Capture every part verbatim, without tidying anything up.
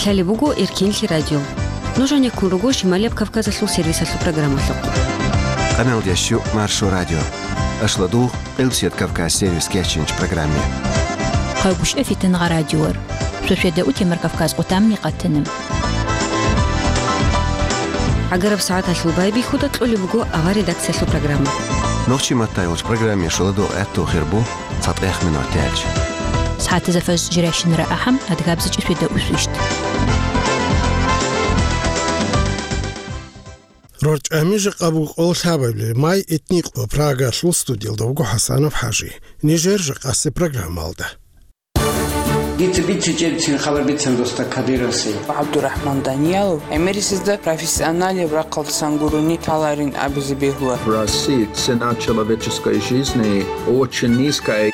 Лъалеб буго Эркенлъи радио. Нуж гьанеккун руго Шималияб Кавказалъул сервисалъул программалъухъ. Къаналдящу Маршо радио. Ашладугъ, Къилсият Кавказ сервис кечинч программе. Къайгушев Фитингъа радиор. Шошеда утемар Кавказ къутамни къатанам. ГӀагараб сагӀаталъул байбихьуда кьолеб буго авар редакциялъул программа. Нохчи матайолч программе шоладо гӀатту хирбу. ЦатӀех минуталъ. СагӀатазда фажр жирайщинара ахӀам, адгабзичӀеб шведа усвищт. РорчӀами жакъа буго къоло лъабабилеб май, итни къо, Прагалъул студиялда вуго ХӀасанов ХӀажи. Нижер жакъасеб программалда. Дица бицичӀебцин хабар бицан доста Кадыровси. ГӀабдурахӀман Даниялов гӀемерисезда профессионалияб рахъалдасан гурони таларин абизе бегьула. В России цена человеческой жизни очень низкая.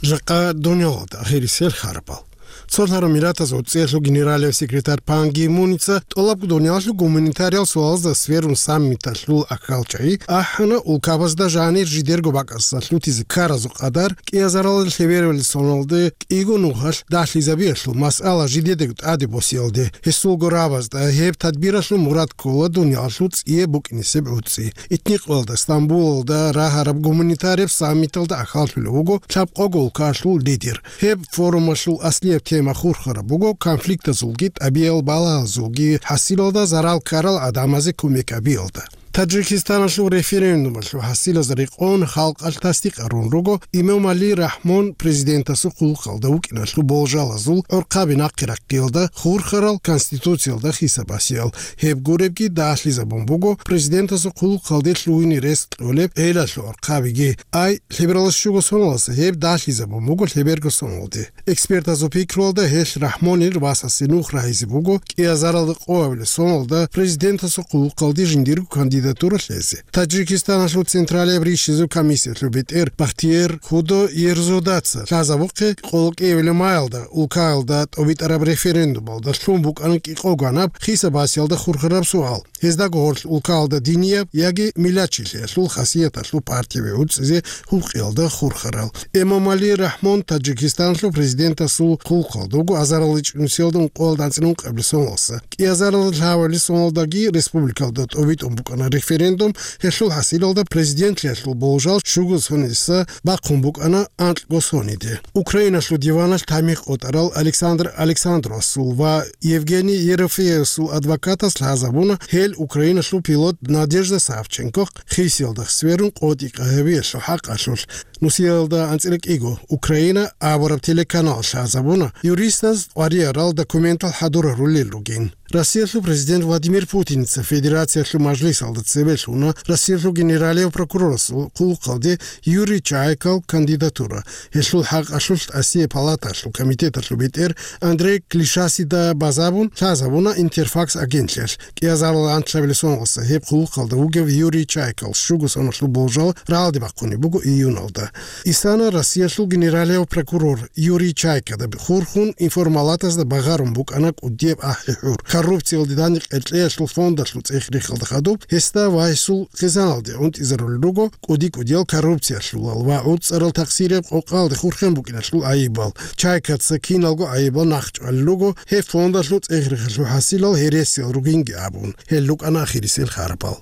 Жакъа дунялалда ахирисел харбал. Цолъараб Миллатаз ГӀуцӀиялъул генералияб секретарь Пан Ги Муница тӀолабго дуниялалъул гуманитариял суалазда сверун саммиталъул ахьалчагӀи ахӀана, улкабазда жанир жидерго бакӀасда лъутизе ккаразул къадар, кӀиазаралда лъебералил соналде кӀиго нухалъ дагьлъизабиялъул масъала жидедаго тӀаде босиялде, гьесулго рабазда гьеб тадбиралъул мурад ккола дуниялалъул цӀияб букӀинесеб гӀуцӀи. Итни къоялда Стамбулалда рагьараб гуманитарияб саммиталда ахьаллъулев вуго лъабкъого улкалъул лидер. Гьеб форумалъул аслияб тема хурхараб буго конфликтазулги тӀабигӀиял балагьазулги хӀасилалда зарал ккарал гӀадамазе кумек гьабиялда. Таджикистаналъул референдумалъул хӀасилаз рекъон халкъалъ тасдикъ гьарун руго Эмомали Рахмон президентасул хъулухъалда вукӀиналъул болжалазул гӀорхъаби нахъе рахъиялда хурхарал конституциялда хисабасиял. Гьеб гуребги дагьлъизабун буго президентасул хъулухъалде лъугьине рес кьолеб гӀелалъул гӀорхъабиги. Ай, лъебералас щуго соналдаса гьеб дагьлъизабун буго лъеберго соналде. Экспертазул пикруялда гьелъ Рахмонил васасе нух рагьизе буго кӀиазаралда къоабилеб соналда президентасул хъулухъалде жиндирго кандидатура лъезе. Таджикистаналъул Централияб ришазул комиссиялъул бетӀер Бахтиер Худо Ерзодаца лъазабухъе къоло кӀиабилеб маялда улкаялда тӀобитӀараб референдумалда лъун букӀана кӀикъоганаб хисабасиялда хурхараб суал. Гьездаго гьорлъ улкаялда динияб яги миллатчилъиялъул хасияталъул партияби гӀуцӀизе гьукъиялда хурхарал. Эмомали Рахмон Таджикистаналъул президентасул хъулухъалда вуго азарилгӀачӀ нусиялда ункъоялда анцӀила ункъабилеб соналдаса. КӀиазарилда лъабабилеб соналдаги республикалда тӀобитӀун букӀана референдум, гьелъул хӀасилалда президентлъиялъул болжал щуго соналдаса бахъун букӀана анкьго соналде. Украиналъул диваналъ тамихъ къотӀарал Александр Александровасул ва Евгений Ерофеевасул адвокатас лъазабуна гьел Украиналъул пилот Надежда Савченкохъ хисиялда сверун къотӀи-къагьабиялъул хӀакъалъулъ. Нусиялда анцӀила кӀиго «Украина» абураб телеканалалъ лъазабуна юристаз къваригӀарал документал хӀадур гьарулел ругин. Россиялъул президент Владимир Путиница Федерациялъул Мажлисалда цебе лъуна Россиялъул генералияб прокурорасул хъулухъалде Юрий Чайкал кандидатура. Гьелъул хӀакъалъулъ Россия палаталъул комитеталъул бетӀер Андрей Клишасида базабун лъазабуна Интерфакс агентлъиялъ. КӀиазарилда анлъабилеб соналдаса гьеб хъулухъалда вугев Юрий Чайкал щуго соналъул болжал рагӀалде бахъунеб буго июналда. Исана Россиялъул генералияб прокурор Юрий Чайкада хурхун информалатазда багъарун букӀана кӀудияб ахӀи-хӀур. Коррупциялде данде къеркьеялъул фондалъул цӀех-рехалда хадуб гьесда ва гьесул хъизаналде гӀунтӀизарулел руго кӀуди-кӀудиял коррупциялъулал ва гӀуцӀарал тахсирияб къокъалде хурхен букӀиналъул гӀайибал. Чайкаца киналго гӀайибал нахъчӀвалел руго гьеб фондалъул цӀех-рехалъул хӀасилал гьересиял ругинги абун. Гьел рукӀана ахирисел харбал.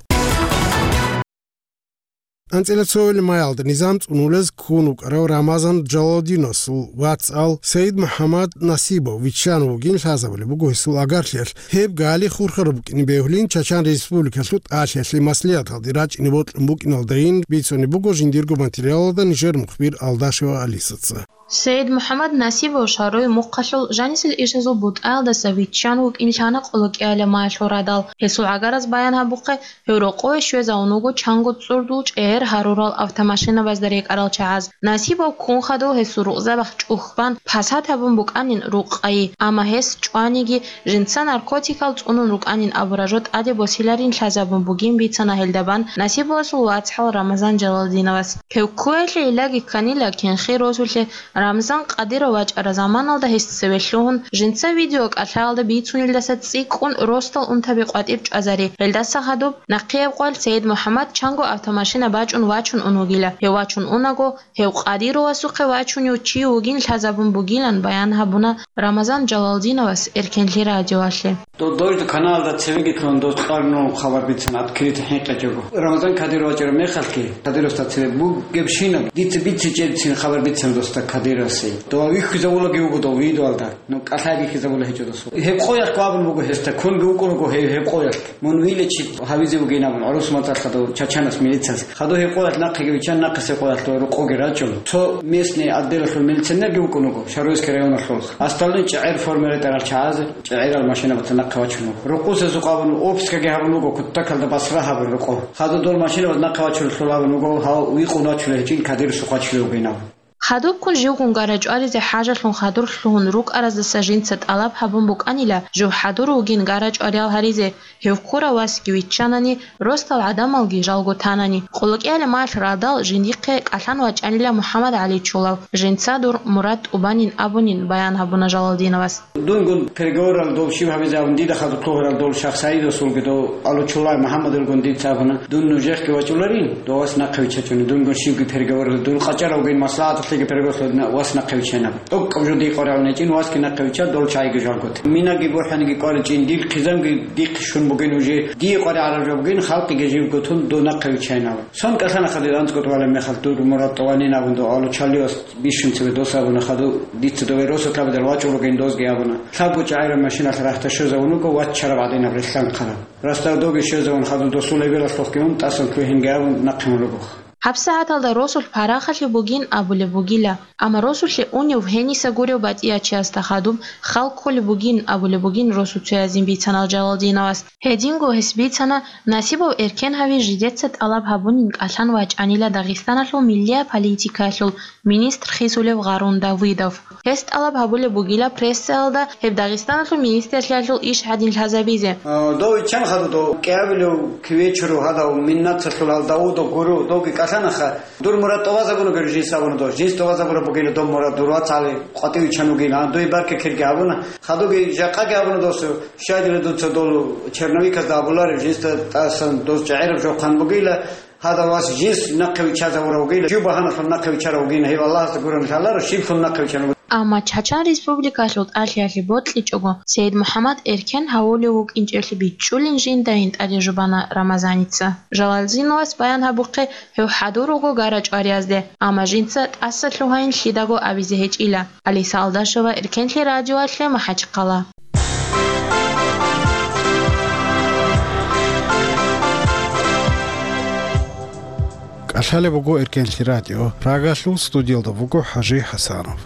АнцӀила цоабилеб маялда низам цӀунулез ккун вукӀарав Рамазан Джалалдиновасул вацал Саид МухӀаммад Насибов виччан вугин лъазабулеб буго гьесул агарлъиялъ. Гьеб гали хурхараб букӀине бегьулин Чачан Республикалъул ТӀалъиялъе маслигӀаталде рачӀине бокьун букӀиналдайин бицунеб буго жиндирго материалалда нижер мухбир Алдашева Алисаца. Саид МухӀаммад Насибов шагьруе мухъалъул жанисел ишазул бутӀаялдаса виччан вукӀин лъана къоло кӀиабилеб маялъул радал. Гьесул гӀагараз баян гьабухъе, гьев рокъове щвезавун вуго чанго цӀурдул чӀегӀер гьарурал автомашинабазда рекӀарал чагӀаз. Насибов ккун хадув гьесул рукъзабахъ чӀухьбан, пасат гьабун букӀанин рукъ къайи, амма гьес чӀваниги, жинца наркотикал цӀунун рукӀанин абураб жо тӀаде босиларин лъазабун бугин бицана гьелда бан Насибовасул вацгӀал Рамазан Джалалдиновас. Гьев ккуялъе илаги кканила кинхи росулъе, Рамзан Къадиров вачӀараб заманалда гьес цеве лъугьун, жинца видеокӀалъаялда бицунелдаса цӀикӀкӀун росдал унтаби къватӀиб чӀвазари. Гьелдаса хадуб, нахъеяб къоялъ Саид МухӀаммад чанго автомашина бачӀун чӀун вачун ун вугила. Гьев вачун унаго, гьев Къадировасухъе вачунев чи вугин лъазабун бугилан баян гьабуна Рамазан Жалалдиновас Эркенлъи радиоялъе. До-, дойда каналда цевеги ккун дос къарну хабар бицан открыто хӀинкъичӀого. Рамазан Кадиров вачӀараб мехалъги, Кадировасда цеве бугебщинаб, дица бицичӀебцин хабар бицан досда Кадировасе. Дова вихьизавулаги вуго дов видеоялда. Ну, кӀалъай бихьизабула гьечӀо досул. Гьеб къоялъ абун буго гьесда, кунги вукӀун руго гьев гьеб къоялъ. Мун вилечи гьавизе вугин абун, гӀурус мацӀалъ хадув чачанас милицияс. Хадув гьеб къоялъ нахъеги виччан, нахъисеб къоялъ рукъоги рачӀун. Цо местный отделалъул милиционерги вукӀун вуго, Шаройский районалъул. Асталин чӀегӀер форма ретӀарал чагӀазе, чӀегӀерал машинабаца нахъе вачун вуго. Рукъусезухъ абун, обыскаги гьабун вуго, кутакалда басра гьабун рукъо. Хадув дол машинабаз нахъе вачулелъул абун вуго, гьав викъун вачулев гьечӀин, Кадирасухъ вачулев вугин абун. Хадубккун живгун гара чӀваризе хӀажалъун хадур лъугьун рукӀараздаса жинца тӀалаб гьабун букӀанила, жив хӀадур вугин гара чӀвариял гьаризе, гьев ккурав васги виччанани, росдал гӀадамалги жалго танани. КъулакӀияле малъ радал жиндихъе кӀалъан вачӀанила МухӀаммад ГӀали Чулав, жинца дур мурад тӀубанин абунин баян гьабуна Жалалдиновас. Дунгун переговорал дов щиб гьабизе абун, дида хадур лъугьарал дов Шахсаидасулги дов Алучулай МухӀаммадилгун дица абуна, дун нужехъги вачӀуларин, дов вас нахъе виччачӀуни, дунгун щибги переговорал, дун къачӀаравгин маслахӀаталъеги переговорал вас нахъе виччайин абун. ТӀокӀаб жо дие къваригӀун гьечӀин, васги нахъе вичча, дол чагӀиги жалго тун. Минаги бухӀаниги кӀваричӀин, дир хъизамги дихъе щун бугин уже, дие къваригӀараб жо бугин, халкъиги живго тун дов нахъе виччайин абун. Сон кӀалъана хадур анцӀго тӀубалеб мехалъ дур мурад тӀубанин абун дов Алучалиас. Бищун цебе дос абуна хадув, дица дове росулъ абидал вачӀун ругин дозги абуна. Лъабго чӀагӀираб машиналъ рахьтӀа щвезавун вуго, ваччараб гӀадинаб релълъанхъараб. Росдал довги щвезавун хадув досул эбелалъухъги ун тӀасан лъугьинги абун нахъе ун руго. ГьабсагӀаталда росулъ парахалъе бугин абулеб бугила, амма росулъе унев гьениса гурев батӀиячиясда хадуб хал кколеб бугин абулеб бугин росуцоязин бицанал Жалалдиновас. Гьединго гьес бицана, насибав эркен гьави жидеца тӀалаб гьабунин кӀалъан вачӀанила Дагъистаналъул миллияб политикаялъул министр хисулев Гъарун Давыдов. Гьес тӀалаб гьабулеб бугила прессаялда гьеб Дагъистаналъул министрлъиялъул иш гьадин лъазабизе. А, дов иччан хадув дов, кӀиабилев кивечуру гьадав, миннацалъул гьал Давудов гуру, довги кӀалъанаха. Дур мурад тӀубазабуна гури жинс абуна дов. Жинс тӀубазабураб бугила дов мурад, дур вацгӀали къватӀив иччан вугила, а, дуе баркакирги абуна. Хадуги жакъаги абуна досу, щайдила дуца дол черновиказда абуларев, жинсда тӀасан дос чӀегӀераб жо хъан бугила, гьадав вас жинс нахъе виччазавурав вугила, жив багьаналъун нахъе виччарав вугина, гьев Аллагьасда гурони лъаларо, щиблъун нахъе виччан вугила. Амма Чачан Республикалъул тӀалъиялъе бокьичӀого, Саид МухӀаммад Эркен гьавулев вукӀинчӀелъи бичӀчӀулин жинда гьинтӀаде жубана Рамазаница. Жалалдиновас баян гьабухъе, гьев хӀадур руго гара чӀвариязде, амма жинца тӀаса лъугьайин лъидаго абизе гьечӀила. Алиса Алдашева, Эркенлъи радиоялъе, МахӀачхъала. КӀалъалеб буго Эркенлъи радио. Прагалъул студиялда вуго ХӀажи ХӀасанов.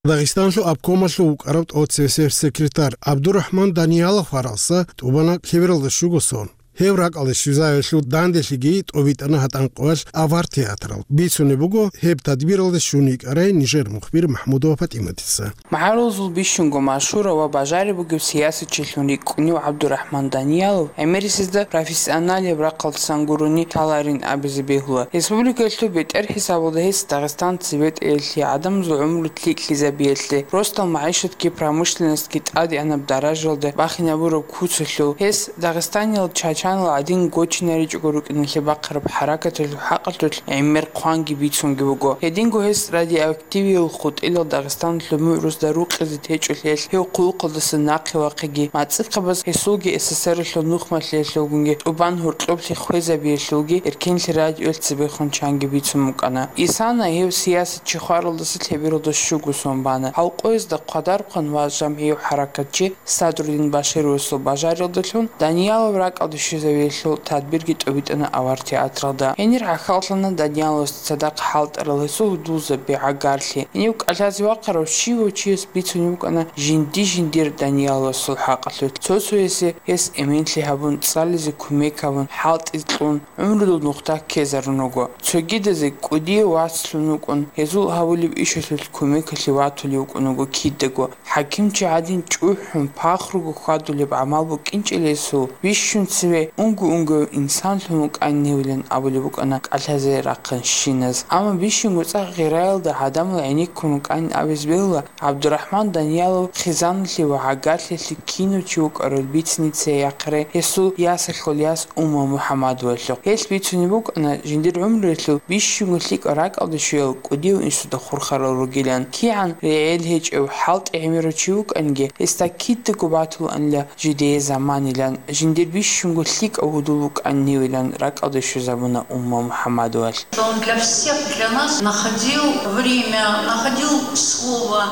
Дагъистанлъул обкомалъув вукӀарав тӀоцебесеб секретарь ГӀабдурахӀман Даниялов гьаралса тӀубана лъебералда щуго сон. Гьев ракӀалде щвезавиялъул данделъиги тӀобитӀана гьатӀан къоялъ авар театралда. Бицунеб буго, гьеб тадбиралде щун йикӀарай нижер мухбир МахӀмудова ПатӀиматица. МагӀарулазул бищунго машгьурав ва бажариб бугев сиясатчилъун рикӀкӀунев ГӀабдурахӀман Даниялов гӀемерисезда профессионалияб рахъалдасан гурони лъаларин абизе бегьула. Республикалъул бетӀер хӀисабалда гьес Дагъистан цебетӀеялъе, гӀадамазул гӀумру лъикӀлъизабиялъе, росдал магӀишатги промышленностги тӀадегӀанаб даражалда бахинабураб куцалъул, гьес Дагъистаниял чачанал гӀадин гочинаричӀого рукӀиналъе бахъараб хӀаракаталъул хӀакъалъулъ гӀемер хъванги бицунги буго. Гьединго гьес радиоактивиял хутӀилал Дагъистаналъул мугӀрузда рукъизе течӀолъиялъ гьев хъулухъалдаса нахъе вахъиги, мацӀихъабаз гьесулги СССРалъул нухмалъиялъулгунги тӀубан гьоркьоблъи хвезабиялъулги Эркенлъи радиоялъ цебехун чанги бицун букӀана. Исана гьев сиясатчи хваралдаса лъебералда щуго сон бана. Гьав къоязда хъвадархъан ва жамгӀияв хӀаракатчи Садрудин Башировасул бажариялдалъун Даниялов ракӀалде щвезавиялъул тадбирги тӀобитӀана авар театралда. Гьенир гӀахьаллъана Данияловасда цадахъ хӀалтӀарал гьесул гьудулзаби, гӀагарлъи. Гьенив кӀалъазе вахъарав щивав чияс бицунеб букӀана жинди-жиндир Данияловасул хӀакъалъулъ. Цо-цоясе гьес эменлъи гьабун, цӀализе кумек гьабун, хӀалтӀи кьун, гӀумрудул нухда ккезарун руго. Цогидазе кӀудияв вацлъун вукӀун, гьезул гьабулеб ишалъулъ кумекалъе ватулев вукӀун вуго кидаго. ХӀакимчи гӀадин чӀухӀун, пахруго хьвадулеб гӀамал букӀинчӀелесул, бищун цеве Унго-унгояв инсанлъун вукӀанин гьевилан абулеб букӀана кӀалъазе рахъанщиназ. Амма бищунго цӀакъ гъираялда гӀадамал гӀенеккун вукӀанин абизе бегьула, ГӀабдурахӀман Даниялов хъизаналъе ва гӀагарлъиялъе кинав чи вукӀарал бицине цеяхъе гьесул ясалъул яс Умма МухӀаммадовалъухъ. Гьелъ бицунеб букӀана, жиндир гӀумруялъул бищунго лъикӀал ракӀалде щвеял кӀудияв инсуда хурхарал ругилан. КигӀан регӀел гьечӀев, хӀалтӀи гӀемерав чи вукӀаниги, гьесда кидаго батулаанила жидее заманилан, жиндир бищунго лъикӀав гьудул вукӀанин гьевилан ракӀалде щвезабуна Умма МухӀаммадовалъ. Он для всех, для нас находил время, находил слово.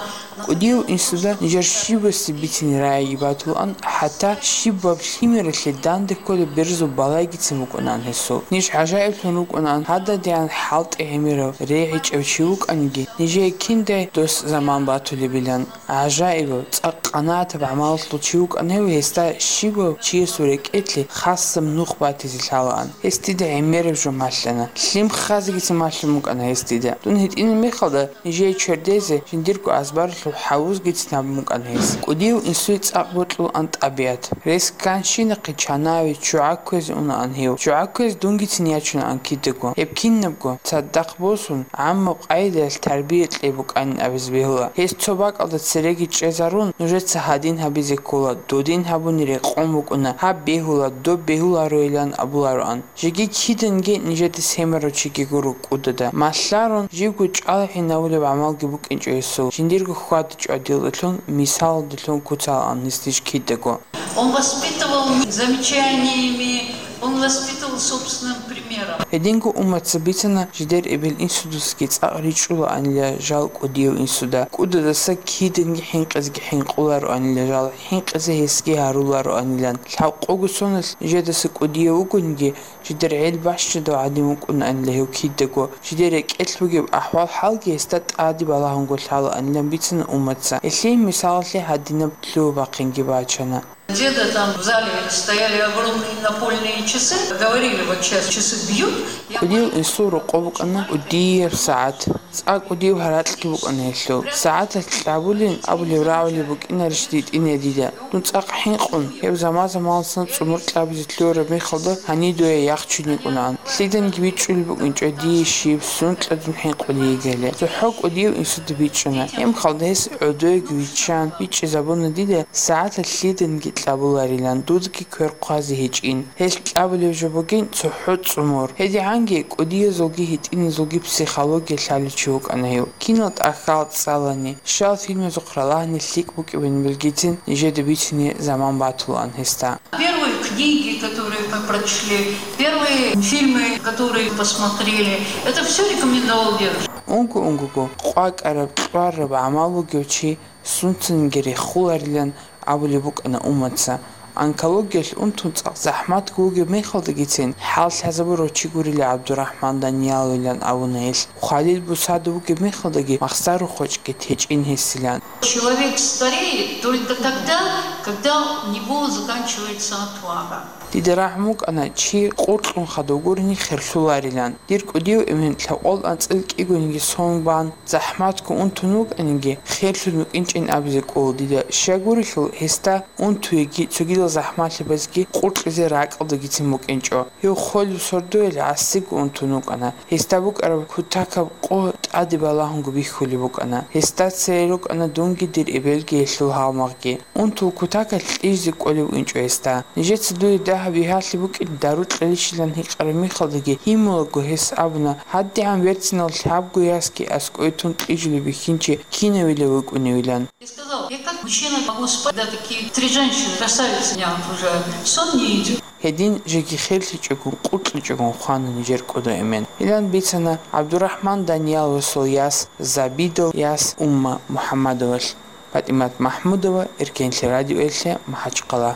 КӀудияв инсуда нижер щибасеб бицине рагӀиги батулаан, хӀатта щибаб лъимералъе данде кколеб берзул балайгицин букӀунаан гьесул. Ниж гӀажаиблъун рукӀунаан гьададигӀан хӀалтӀи гӀемерав, регӀичӀев чи вукӀаниги, нижее киндай дос заман батулебилан. ГӀажаибав, цӀакъ къанагӀатаб гӀамалалъул чи вукӀана гьев, гьесда щибав чиясул рекӀелъе хасаб нух батизе лъалаан. Гьес дида гӀемераб жо малъана. Лъим хазегицин малъун букӀана гьес дида. Дун гьитӀинаб мехалда, нижее чердезе жиндирго азбаралъул хӀавузгицин гьабун букӀана гьес. КӀудияв инсуе цӀакъ бокьулаан тӀабигӀат. Рес кканщинахъе чанаве ччугӀа кквезе унаан гьев. ЧчугӀа кквезе дунгицин ячунаан кидаго. Гьеб кинабго цадахъ босун, гӀаммаб къайдаялъ тарбия кьей букӀанин абизе бегьула. Гьес цо бакӀалда цереги чӀезарун, нужеца гьадин гьабизе ккола, додин гьабуни рекъон букӀуна, гьаб бегьула, доб бегьулароилан абулароан. Жеги киданги нижеде семарав чиги гуро кӀудада. Малъарун, живго чӀалгӀинавулеб гӀамалги букӀинчӀо гьесул, жиндирго хьвада-чӀвадиялда лъун, мисалалда лъун куцалаан гьес ниж кидаго. Он воспитывал не замечаниями, он воспитывал собственным примером. Гьединго Уммаца бицана жидер эбел-инсудасаги цӀакъ ричӀчӀулаанила жал кӀудияв инсуда. КӀудадаса киданги хӀинкъизеги хӀинкъулароанила жал, хӀинкъизе гьесги гьарулароанилан. Лъабкъого соналъ нижедаса кӀудияв вугониги, жидер гӀел бащадав гӀадин вукӀунаанила гьев кидаго. Жидер рекӀелъ бугеб ахӀвал-хӀалги гьесда тӀаде балагьунго лъалаанилан бицана Уммаца. Гьелъие мисалалъе гьадинаб лъугьа-бахъинги бачана. Деда, там в зале стояли огромные напольные часы, говорили: «Вот сейчас часы бьют». Я... КӀудияв инсул рокъоб букӀана кӀудияб сагӀат. ЦӀакъ кӀудияб гьаракьги букӀана гьелъул. СагӀаталъ кьабулин абулеб рагӀулеб букӀинарищ дитӀине дида? Дун цӀакъ хӀинкъун, гьеб заман-заманалдасан цӀумур кьабизе лъугьараб мехалда гьанив дуе яхъ чӀун йикӀунаан. Лъиданги бичӀчӀулеб букӀинчӀо дие щиб, сункьа дун хӀинкъулей йигели. ЦохӀо кӀудияв инсуда бичӀчӀана. Гьеб мехалда гьес гӀодойги виччан, бичӀчӀизабуна дида, сагӀаталъ лъиданги кьабуларилан, дудги квер хъвазе гьечӀин. Гьелъ кьабулеб жо бугин цохӀо цӀумур. ГьедигӀанги кӀудиязулги гьитӀиназулги психология лъалев чи вукӀана гьев. Кинал тӀахьал цӀалани, щал фильмазухъ ралагьани лъикӀ букӀинин билгицин нижеда бицине заман батулаан гьесда. Первые книги, которые мы прочли, первые фильмы, которые посмотрели, это всё рекомендовал дедушка. Унго-унгого къвакӀараб, кьвараб гӀамал бугев чи сунцаниги рехуларилан абулеб букӀана Уммаца. Онкологиялъ унтун цӀакъ захӀматго вугеб мехалдагицин, хӀал лъазабурав чи гурила ГӀабдурахӀман Данияловилан абуна гьелъ. Хвалил бусада вугеб мехалдаги махсарухъ гьечӀги течӀин гьесилан. Человек стареет только тогда, когда у него заканчивается отвага. Дида рагӀун букӀана, чи къуркьун хадув гурони херлъуларилан. Дир кӀудияв эмен лъабкъоялда анцӀила кӀигониги сон бан, захӀматго унтун вукӀаниги, херлъун вукӀинчӀин абизе кӀола дида. Щай гурелъул, гьесда унтуеги, цогидал захӀмалъи базеги къуркьизе ракӀалдагицин букӀинчӀо. Гьев холев сордоялъ гӀасиго унтун вукӀана. Гьесда букӀараб кутакаб къо тӀаде балагьунго бихьулеб букӀана. Гьесда цере рукӀана дунги дир эбелги гьелъул гьалмагъги. Унтул кутакалъ кьижизе кӀолеб букӀинчӀо гьесда. Нижеца дуе дагьаб бигьалъи букӀин дару кьелищилан гьикъараб мехалдаги, гьимулаго гьес абуна, гьадигӀан верцинал лъабго ясги аскӀове тун кьижулеб бихьинчи кинавила вукӀуневилан. Я сказал, я как мужчина могу спать, когда такие три женщины, красавицы меня окружают. Сон не идёт. Гьедин жеги херлъичӀогун, къуркьичӀогун хвана нижер кӀудо эмен. Илан бицана ГӀабдурахӀман Данияловасул яс, Забидал яс Умма МухӀаммадовалъ. ПатӀимат МахӀмудова, Эркенлъи радиоялъе, МахӀачхъала.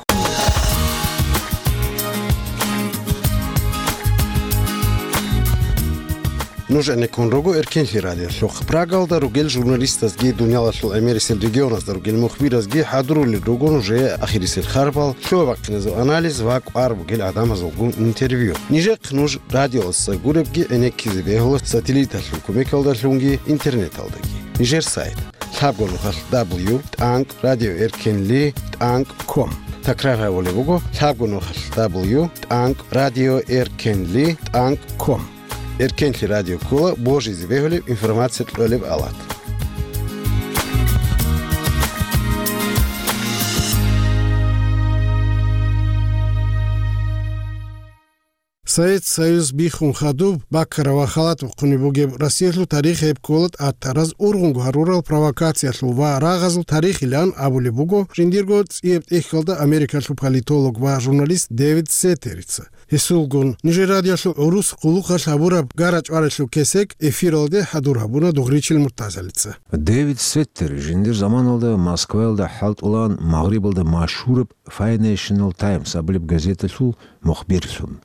Нуж гӀенеккун руго Эркенлъи радиолъухъ. Прагалда ругел журналистазги, дуниялалъул гӀемерисел регионазда ругел мухбиразги хӀадурулел руго нужее ахирисел харбал, лъугьа-бахъиназул анализ ва кӀвар бугел гӀадамазулгун интервью. Нижехъ нуж радиоялдаса гуребги гӀенеккизе бегьула сателлиталъул кумекалдалъунги интернеталдаги. Нижер сайт: лъабго нухалъ дабл ю тӀанкӀ радио эркенли тӀанкӀ ком. Такрар гьабулеб буго, лъабго нухалъ: дабл ю тӀанкӀ радио эркенли тӀанкӀ ком. Эркенлъи радио ккола божизе бегьулеб информация кьолеб алат. Совет Союз биххун хадуб, баккараб ва халатаб хъуниб бугеб Россиялъул тарих гьеб ккола тӀатараз ургъунго гьарурал провокациялъул ва рагъазул тарихилан абулеб буго жиндирго цӀияб тӀехьалда Америкалъул политолог ва журналист Дэвид Сеттерица. Гьесулгун нижер радиоялъул гӀурус къулухъалъ гьабураб гара-чӀваралъул кесек эфиралде хӀадур гьабуна Дугъричил Муртазалица. Дэвид Сеттер жиндир заманалда Москваялда хӀалтӀулаан Магърибалда машгьураб Financial Times абулеб газеталъул мухбирлъун.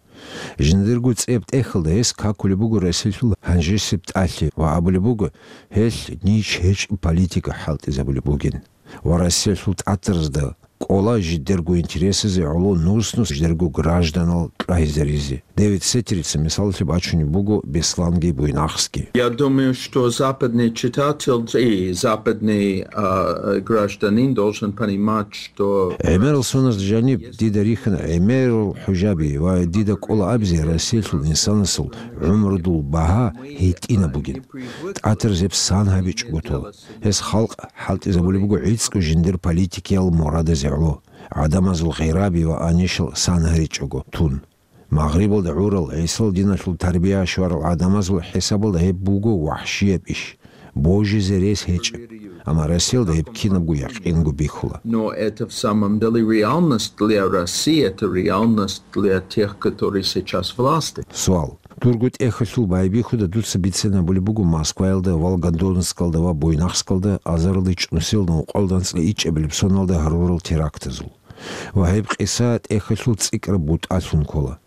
Жиндирго цӀияб тӀехьалда гьес какулеб буго Россиялъул гьанжесеб тӀалъи ва абулеб буго, гьелъ нич гьечӀеб политика хӀалтӀизабулеб бугин ва Россиялъул тӀатаразда кӀола жидерго интересазе гӀоло нус-нус жидерго гражданал кьвагьизаризе. Дэвид Сеттерица мисалалъе бачунеб буго Бесланги Буйнаксги. Я думаю, что западный читатель и западный, а, гражданин должен понимать, что... ГӀемерал соналда жаниб дида рихьана гӀемерал хӀужаби ва дида кӀола абизе Россиялъул инсанасул гӀумрудул багьа гьитӀинаб бугин. ТӀатараз гьеб сан гьабичӀого тола. Гьес халкъ хӀалтӀизабулеб буго гӀицӀго жиндир политикиял мурадазе гӀоло, гӀадамазул гъираби ва анишал сан гьаричӀого тун. Магърибалда гӀурал, ГӀисал диналъул тарбия щварал гӀадамазул хӀисабалда гьеб буго вахӀщияб иш, божизе рес гьечӀеб. Амма Россиялда гьеб кинабго якъинго бихьула. Но это в самом деле реальность для России, это реальность для тех, которые сейчас власти. Суал. Дурго тӀехьалъул байбихьуда дуца бицинабулеб буго Москваялда, Волгодонскалда ва Буйнакскалда азарилда чӀунусиялда ункъоялда анцӀила ичӀабилеб соналда гьарурал терактазул ва гьеб къиса тӀехьалъул цӀикӀкӀараб бутӀалъун ккола.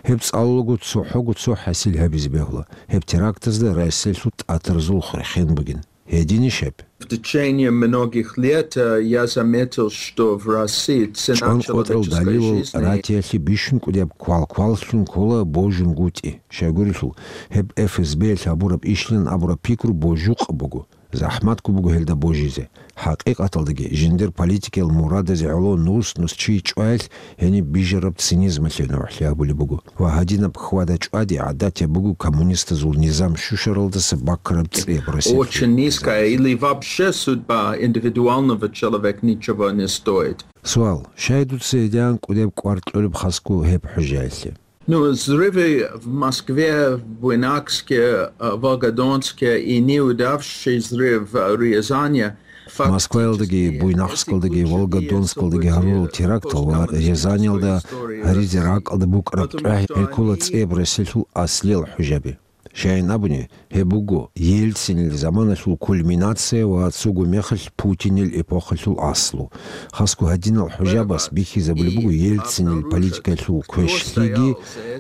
Гьеб цӀалулаго цохӀого цо хӀасил гьабизе бегьула, гьеб терактазда Россиялъул тӀатаразул хурхен бугин. Гьединищ гьеб? В течение многих лет, э, я заметил, что в России цена человеческой жизни... ЧӀванкъотӀал далилал ратиялъе бищун кӀудияб квалкваллъун ккола божунгутӀи. Щайгурелъул, гьеб ФСБ-ялъ гьабураб ишлъилан абураб пикру божукъаб буго. ЗахӀматго буго гьелда божизе. ХӀакъикъаталдаги, жиндир политикиял мурадазе гӀоло нус-нус чи чӀваялъ гьениб бижараб цинизмалъе нугӀлъи гьабулеб буго. Ва гьадинаб хьвада-чӀвади гӀадатияб буго коммунистазул низам щущаралдаса баккараб цӀияб Россиялъул. Очень низкая или вообще судьба индивидуального человека ничего не стоит. Суал. Щай дуца гьедигӀан кӀудеб кӀвар кьолеб хасго гьеб хӀужаялъе? Ну, взрывы в Москве, в Буйнакске, э, Волгодонске и неудавшийся взрыв в Рязани фактически... Москваялдаги, Буйнакскалдаги, Волгодонскалдаги гьарурал терактал ва Рязаниялда гьаризе ракӀалда букӀараб тӀагӀи гьекъола цӀияб Россиялъул аслиял хӀужаби. Щайин абуни, гьеб буго Ельцинил заманалъул кульминация ва цого мехалъ Путинил эпохалъул аслу. Хасго гьадинал хӀужабас бихьизабулеб буго Ельцинил политикалъул квешлъиги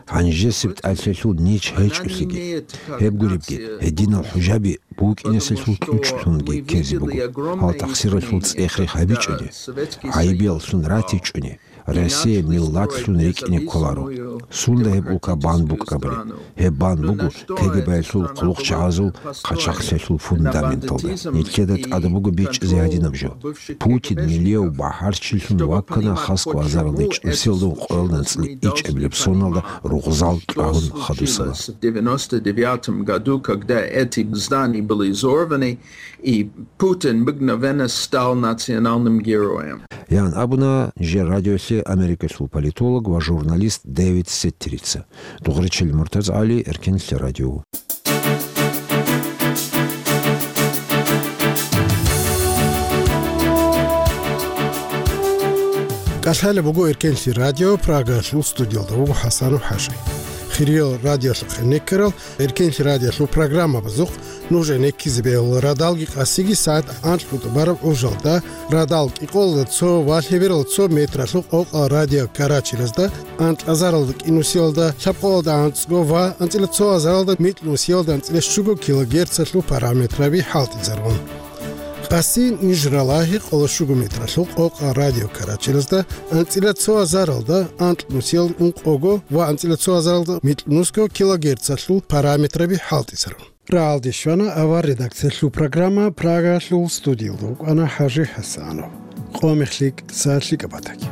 гьанжесеб тӀалъиялъул нич гьечӀолъиги. Гьеб гуребги, гьединал хӀужаби букӀинесалъул кьучӀлъунги ккезе буго. Гьал тахсиралъул цӀех-рех гьабичӀони, гӀайибияллъун ратичӀони, Россия миллатлъун рикӀкӀине кколаро. Сунда гьеб улка бан букӀарабали? Гьеб бан буго КГБ-ялъул хъулухъчагӀазул хъачагълъиялъул фундаменталда. Нилъеда тӀадаб буго бичӀчӀизе гьадинаб жо. Путин нилияв бахӀарчилъун ваккана хасго азаралда чӀусиялда ункъоялда анцӀила ичӀабилеб соналда ругъзал чӀвагьун хадусала. В девяносто девятом году, когда эти здания были взорваны, и Путин мгновенно стал национальным героем. Ян абуна нижер радиолъе Америкалъул политолог ва журналист Дэвид Сеттерица. Дугъричил МуртазгӀали, Эркенлъи радио. КӀалъалеб буго Эркенлъи радио, Прагалъул студиялда вуго ХӀасанов ХӀажи. Хириял радиолъухъе некерал Эркенлъи радиолъул программабазухъ нужее неккизе бегьула радалги къасиги сагӀат анкьго тӀубараб гӀужалда, радал кӀикъоялда цо ва лъеберал цо метралъул къокъал радиокарачелазда, анкьазаралда кӀинусиялда лъабкъоялда анцӀго ва анцӀила цо азаралда микьнусиялда анцӀила щуго килогерцалъул параметраби хӀалтӀизарун. Къаси ниж ралагьи къоло щуго метралъул къокъал радиокарачелазда анцӀила цо азаралда анкьнусиялда ункъого ва анцӀила цо азаралда микьнусго килогерцалъул параметраби хӀалтӀизарун. Рагьалде щвана авар редакциялъул программа, Прагалъул студиялда вукӀана ХӀажи ХӀасанов. Къо-мех лъикӀ, сагӀат лъикӀаб батаги.